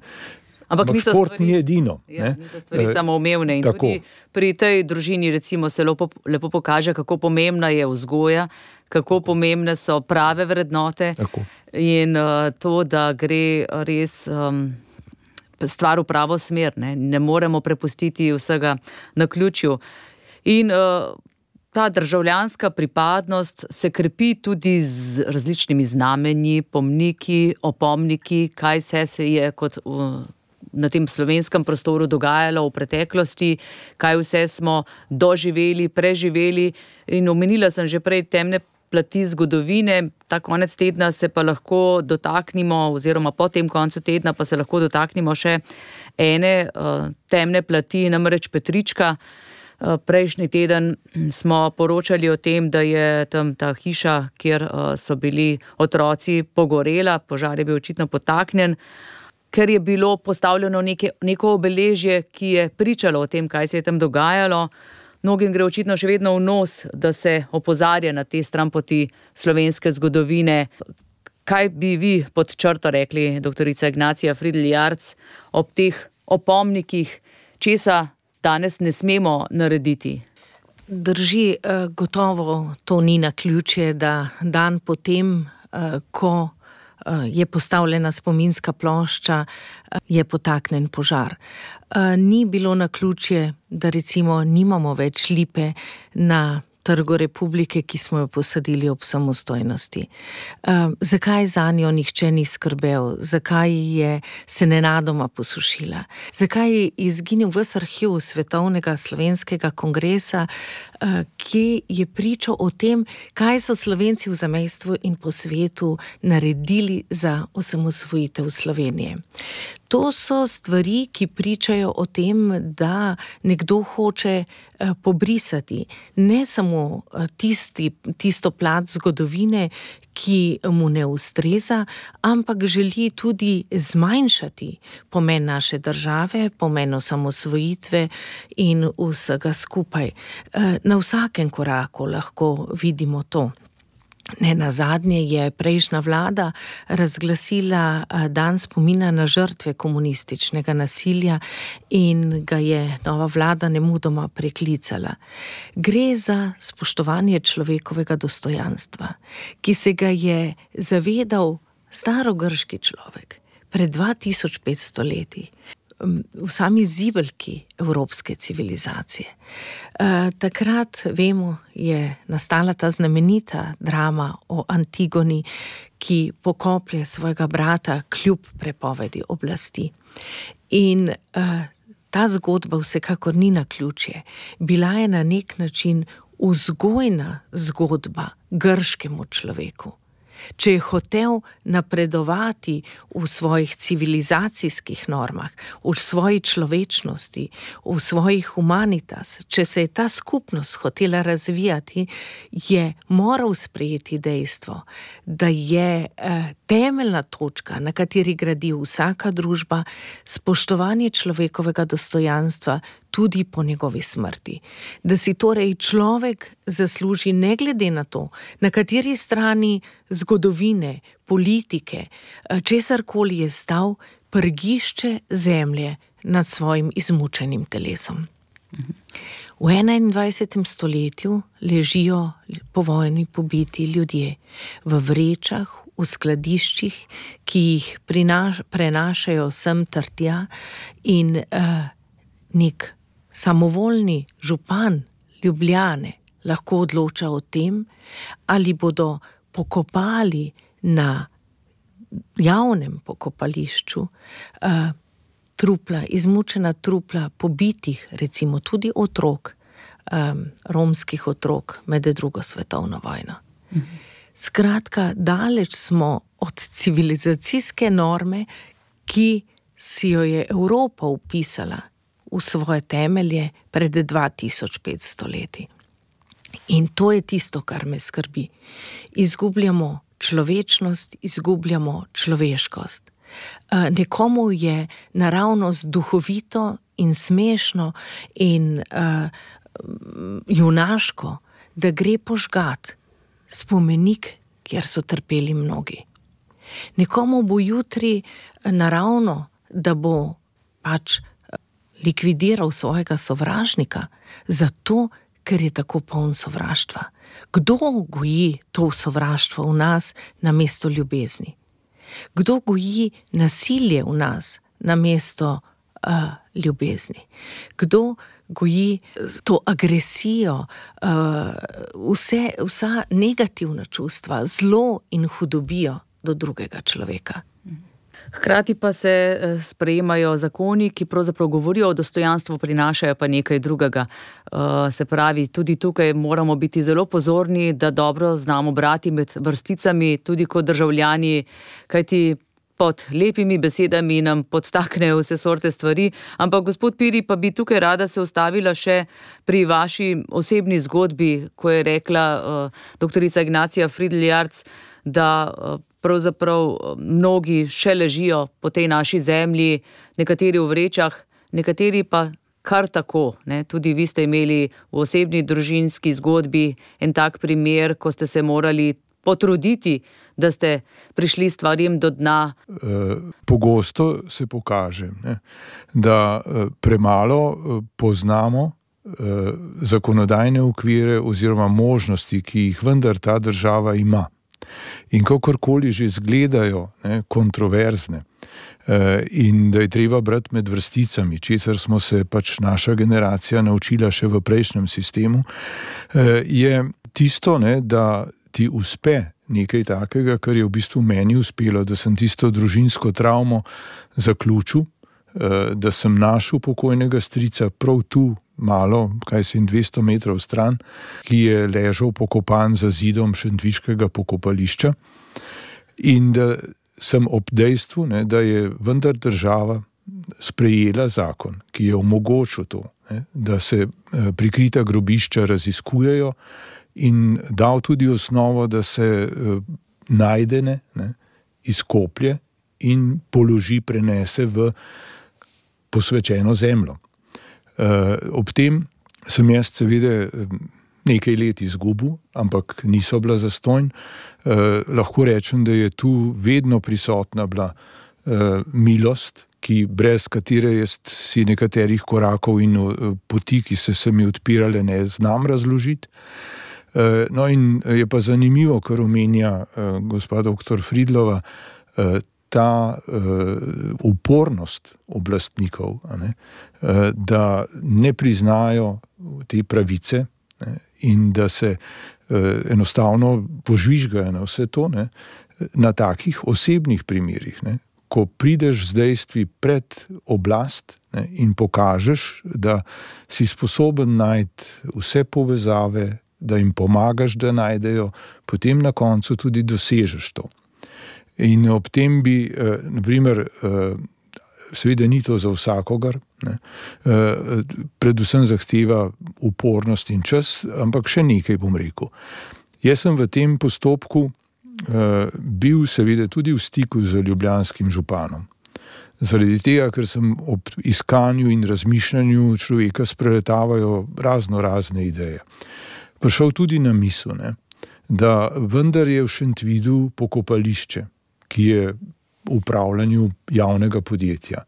B: Ampak
C: Ampak šport stvari, ni edino.
B: Ja, niso stvari uh, samoumevne in tako. Tudi pri tej družini recimo se lepo, lepo pokaže, kako pomembna je vzgoja, kako pomembne so prave vrednote tako. In uh, to, da gre res Um, stvar v pravo smer, ne, ne moremo prepustiti vsega naključju. In uh, ta državljanska pripadnost se krepi tudi z različnimi znamenji, pomniki, opomniki, kaj vse se je kot uh, na tem slovenskem prostoru dogajalo v preteklosti, kaj vse smo doživeli, preživeli in omenila sem že prej temne plati zgodovine. Ta konec tedna se pa lahko dotaknimo, oziroma po tem koncu tedna pa se lahko dotaknimo še ene uh, temne plati, namreč Petrička. Uh, prejšnji teden smo poročali o tem, da je tam ta hiša, kjer uh, so bili otroci, pogorela, požar je bil očitno potaknjen, ker je bilo postavljeno neke, neko obeležje, ki je pričalo o tem, kaj se je tam dogajalo. Mnogim gre očitno še vedno v nos, da se opozarja na te stranpoti slovenske zgodovine. Kaj bi vi pod črto rekli, doktorica Ignacija Fridl Jarc, ob teh opomnikih, česa danes ne smemo narediti?
D: Drži, gotovo to ni naključje, da dan potem, ko je postavljena spominska plošča, je potaknen požar. Ni bilo naključje, da recimo nimamo več lipe na Trgu Republike, ki smo jo posadili ob samostojnosti. Uh, zakaj za njo nihče ni skrbel? Zakaj je se nenadoma posušila? Zakaj je izginil ves arhiv Svetovnega slovenskega kongresa, uh, ki je pričal o tem, kaj so Slovenci v zamejstvu in po svetu naredili za osamosvojitev Slovenije. To so stvari, ki pričajo o tem, da nekdo hoče pobrisati ne samo tisti, tisto plat zgodovine, ki mu ne ustreza, ampak želi tudi zmanjšati pomen naše države, pomen osamosvojitve in vsega skupaj. Na vsakem koraku lahko vidimo to. Ne nazadnje je prejšnja vlada razglasila dan spomina na žrtve komunističnega nasilja in ga je nova vlada nemudoma preklicala. Gre za spoštovanje človekovega dostojanstva, ki se ga je zavedal starogrški človek pred dva tisoč petsto leti. V sami zibelki evropske civilizacije. E, takrat, vemo, je nastala ta znamenita drama o Antigoni, ki pokoplje svojega brata kljub prepovedi oblasti. In e, ta zgodba vsekakor ni naključje. Bila je na nek način vzgojna zgodba grškemu človeku. Če je hotel napredovati v svojih civilizacijskih normah, v svoji človečnosti, v svojih humanitas, če se je ta skupnost hotela razvijati, je moral sprejeti dejstvo, da je eh, temeljna točka, na kateri gradi vsaka družba, spoštovanje človekovega dostojanstva tudi po njegovi smrti. Da si torej človek zasluži ne glede na to, na kateri strani zgodovine, politike, česarkoli je stal, prgišče zemlje nad svojim izmučenim telesom. V enaindvajsetem stoletju ležijo po vojni pobiti ljudje v vrečah, v skladiščih, ki jih prinaš, prenašajo sem ter tja in uh, nek samovoljni župan Ljubljane lahko odloča o tem, ali bodo pokopali na javnem pokopališču uh, trupla, izmučena trupla pobitih, recimo tudi otrok, um, romskih otrok med drugo svetovno vojno. Mhm. Skratka, daleč smo od civilizacijske norme, ki si jo je Evropa upisala v svoje temelje pred dva tisoč petsto leti. In to je tisto, kar me skrbi. Izgubljamo človečnost, izgubljamo človeškost. Nekomu je naravnost duhovito in smešno in uh, junaško, da gre požgat spomenik, kjer so trpeli mnogi. Nekomu bo jutri naravno, da bo pač likvidiral svojega sovražnika, zato, ker je tako poln sovraštva. Kdo goji to sovraštvo v nas namesto ljubezni? Kdo goji nasilje v nas namesto uh, ljubezni? Kdo goji to agresijo, uh, vse, vsa negativna čustva, zlo in hudobijo do drugega človeka?
B: Hkrati pa se sprejemajo zakoni, ki pravzaprav govorijo o dostojanstvu, prinašajo pa nekaj drugega. Se pravi, tudi tukaj moramo biti zelo pozorni, da dobro znamo brati med vrsticami, tudi kot državljani, kajti pod lepimi besedami nam podstaknejo vse sorte stvari. Ampak gospod Piri, pa bi tukaj rada se ustavila še pri vaši osebni zgodbi, ko je rekla uh, doktorica Ignacija Fridl-Jarc, da uh, pravzaprav mnogi še ležijo po tej naši zemlji, nekateri v vrečah, nekateri pa kar tako. Ne? Tudi vi ste imeli v osebni družinski zgodbi en tak primer, ko ste se morali potruditi, da ste prišli stvarjem do dna.
C: Pogosto se pokaže, ne, da premalo poznamo zakonodajne okvire oziroma možnosti, ki jih vendar ta država ima. In kakorkoli že izgledajo, ne, kontroverzne, in da je treba brati med vrsticami, česar smo se pač naša generacija naučila še v prejšnjem sistemu, je tisto, ne, da ti uspe nekaj takega, kar je v bistvu meni uspelo, da sem tisto družinsko travmo zaključil, da sem našel pokojnega strica prav tu, malo, kaj se jim dvesto metrov stran, ki je ležal pokopan za zidom šentviškega pokopališča, in da sem ob dejstvu, ne, da je vendar država sprejela zakon, ki je omogočil to, ne, da se prikrita grobišča raziskujejo, in dal tudi osnovo, da se najdene, ne, izkoplje in položi, prenese v posvečeno zemljo. Ob tem sem jaz seveda nekaj let izgubil, ampak niso bila zastonj. Lahko rečem, da je tu vedno prisotna bila milost, ki brez katere jaz si nekaterih korakov in poti, ki se se mi odpirale, ne znam razložiti. No in je pa zanimivo, kar omenja gospa doktor Fridlova, ta upornost oblastnikov, ne, da ne priznajo te pravice, ne, in da se enostavno požvižgajo na vse to, ne, na takih osebnih primerih, ne, ko prideš z dejstvi pred oblast, ne, in pokažeš, da si sposoben najti vse povezave, da jim pomagaš, da najdejo, potem na koncu tudi dosežeš to. In ob tem bi, eh, naprimer, eh, seveda ni to za vsakogar, ne, eh, predvsem zahteva upornost in čas, ampak še nekaj bom rekel. Jaz sem v tem postopku eh, bil seveda tudi v stiku z ljubljanskim županom. Zaradi tega, ker sem ob iskanju in razmišljanju človeka spreletavajo razno razne ideje. Prišel tudi na misel, ne, da vendar je v Šentvidu pokopališče, ki je v upravljanju javnega podjetja.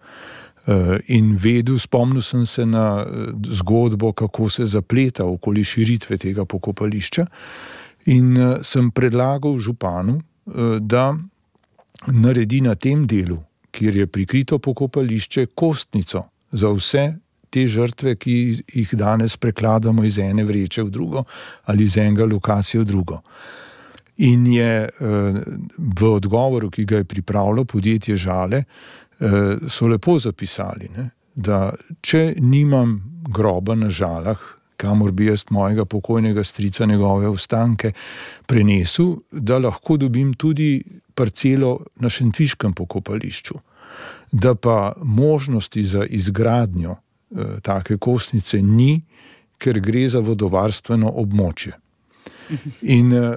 C: In vedel, spomnil sem se na zgodbo, kako se zapleta okoli širitve tega pokopališča, in sem predlagal županu, da naredi na tem delu, kjer je prikrito pokopališče, kostnico za vse te žrtve, ki jih danes prekladamo iz ene vreče v drugo ali iz enega lokacije v drugo. In je v odgovoru, ki ga je pripravilo podjetje Žale, so lepo zapisali, ne, da če nimam groba na Žalah, kamor bi jaz mojega pokojnega strica njegove ostanke prenesel, da lahko dobim tudi parcelo na šentviškem pokopališču. Da pa možnosti za izgradnjo eh, take kostnice ni, ker gre za vodovarstveno območje. In, uh,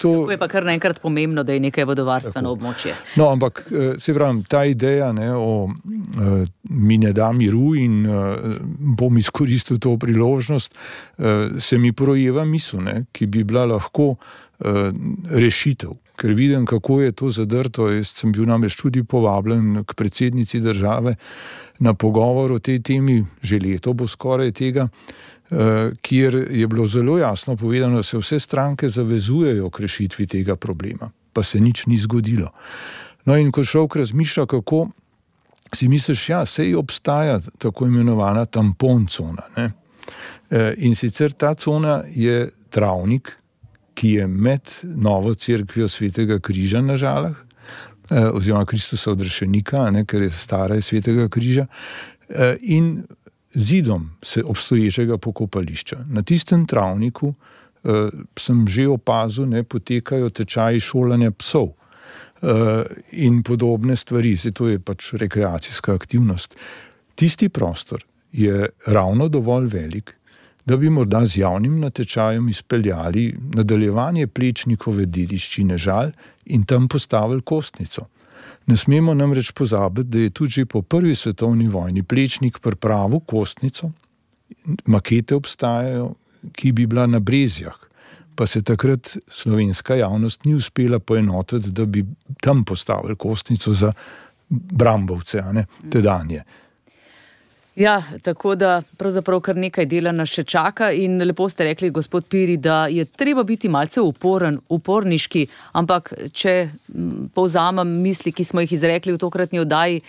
C: to,
B: Tako je pa kar naenkrat pomembno, da je nekaj vodovarstveno tako območje.
C: No, ampak se pravim, ta ideja, ne, o uh, mi ne da miru in uh, bom izkoristil to priložnost, uh, se mi projeva misel, ne, ki bi bila lahko uh, rešitev. Ker vidim, kako je to zadrto. Jaz sem bil namreč tudi povabljen k predsednici države na pogovor o tej temi, že leto bo skoraj tega, kjer je bilo zelo jasno povedano, da se vse stranke zavezujejo k rešitvi tega problema, pa se nič ni zgodilo. No in ko človek razmišlja, kako si misliš, ja, sej obstaja tako imenovana tampon cona, ne? In sicer ta cona je travnik, ki je med novo cerkvijo Svetega križa na Žalah, oziroma Kristusa odrešenika, ne, ker je stara iz Svetega križa, in zidom se obstoječega pokopališča. Na tistem travniku eh, sem že opazil, ne, potekajo tečaji šolanja psov eh, in podobne stvari. Se to je pač rekreacijska aktivnost. Tisti prostor je ravno dovolj velik, da bi morda z javnim natečajem izpeljali nadaljevanje Plečnikove dediščine Žal in tam postavili kostnico. Ne smemo namreč pozabiti, da je tudi že po prvi svetovni vojni Plečnik pripravil kostnico, makete obstajajo, ki bi bila na Brezjah, pa se takrat slovenska javnost ni uspela poenotiti, da bi tam postavili kostnico za Brambovce, a ne, tedanje.
B: Ja, tako da pravzaprav kar nekaj dela nas še čaka in lepo ste rekli, gospod Piri, da je treba biti malce uporen, uporniški, ampak če povzamem misli, ki smo jih izrekli v tokratni oddaji,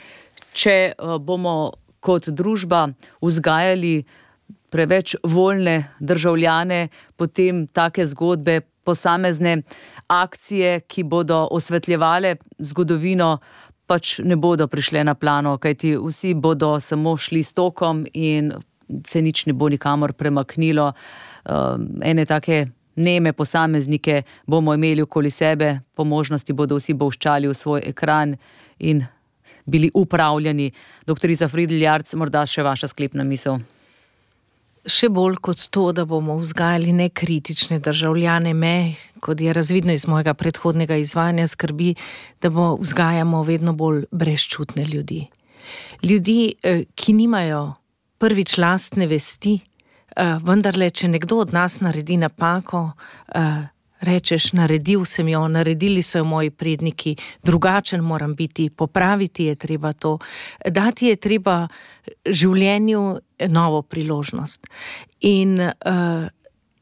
B: če bomo kot družba vzgajali preveč voljne državljane, potem take zgodbe, posamezne akcije, ki bodo osvetljevale zgodovino, pač ne bodo prišle na plano, kajti vsi bodo samo šli s tokom in se nič ne bo nikamor premaknilo. Ene take neme posameznike bomo imeli okoli sebe, po možnosti bodo vsi bolščali v svoj ekran in bili upravljani. Doktorica Fridl Jarc, morda še vaša sklepna misel.
D: Še bolj kot to, da bomo vzgajali nekritične državljane, me, kot je razvidno iz mojega predhodnega izvajanja, skrbi, da bo vzgajamo vedno bolj brezčutne ljudi. Ljudi, ki nimajo prvič lastne vesti, vendarle, če nekdo od nas naredi napako, rečeš, naredil sem jo, naredili so jo moji predniki, drugačen moram biti, popraviti je treba to, dati je treba življenju novo priložnost. In uh,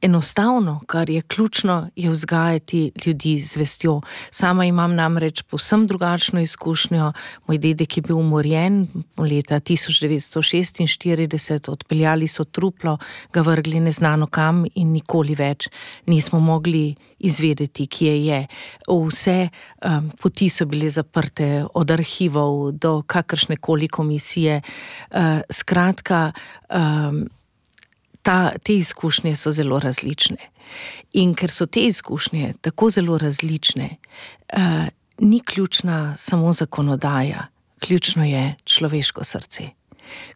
D: enostavno, kar je ključno, je vzgajati ljudi z vestjo. Sama imam namreč povsem drugačno izkušnjo. Moj dedek je bil umorjen leta tisoč devetsto šestinštirideset, odpeljali so truplo, ga vrgli neznano kam in nikoli več nismo mogli izvedeti, kje je. Vse um, poti so bile zaprte, od arhivov do kakršnekoli komisije. Uh, skratka, um, Ta, te izkušnje so zelo različne. In ker so te izkušnje tako zelo različne, uh, ni ključna samo zakonodaja, ključno je človeško srce.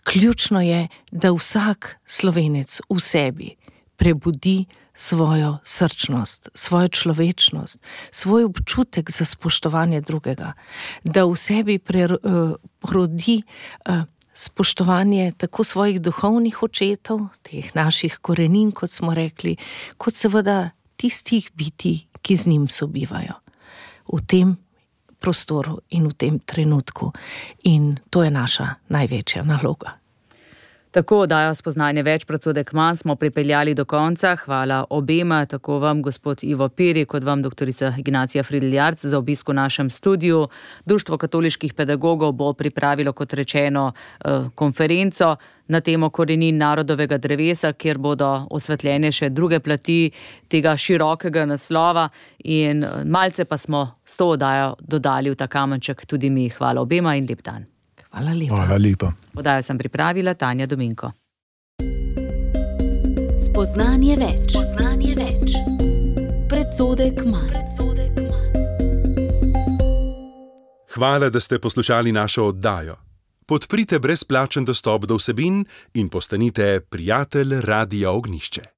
D: Ključno je, da vsak Slovenec v sebi prebudi svojo srčnost, svojo človečnost, svoj občutek za spoštovanje drugega, da v sebi prerodi uh, spoštovanje tako svojih duhovnih očetov, teh naših korenin, kot smo rekli, kot seveda tistih bitij, ki z njim sobivajo v tem prostoru in v tem trenutku. In to je naša največja naloga.
B: Tako oddajo Spoznanje več, Predsodek manj smo pripeljali do konca. Hvala obema, tako vam, gospod Ivo Piri, kot vam, doktorica Ignacija Fridl Jarc, za obisk v našem studiu. Društvo katoliških pedagogov bo pripravilo, kot rečeno, konferenco na temo korenin narodovega drevesa, kjer bodo osvetljene še druge plati tega širokega naslova in malce pa smo s to oddajo dodali v ta kamenček tudi mi. Hvala obema in lep dan.
D: Hvala lepa.
C: Hvala lepa.
B: Oddajo sem pripravila Tanja Dominko.
A: Spoznanje več. Spoznanje več. Predsodek manj.
E: Hvala, da ste poslušali našo oddajo. Podprite brezplačen dostop do vsebin in postanite prijatelj Radia Ognjišče.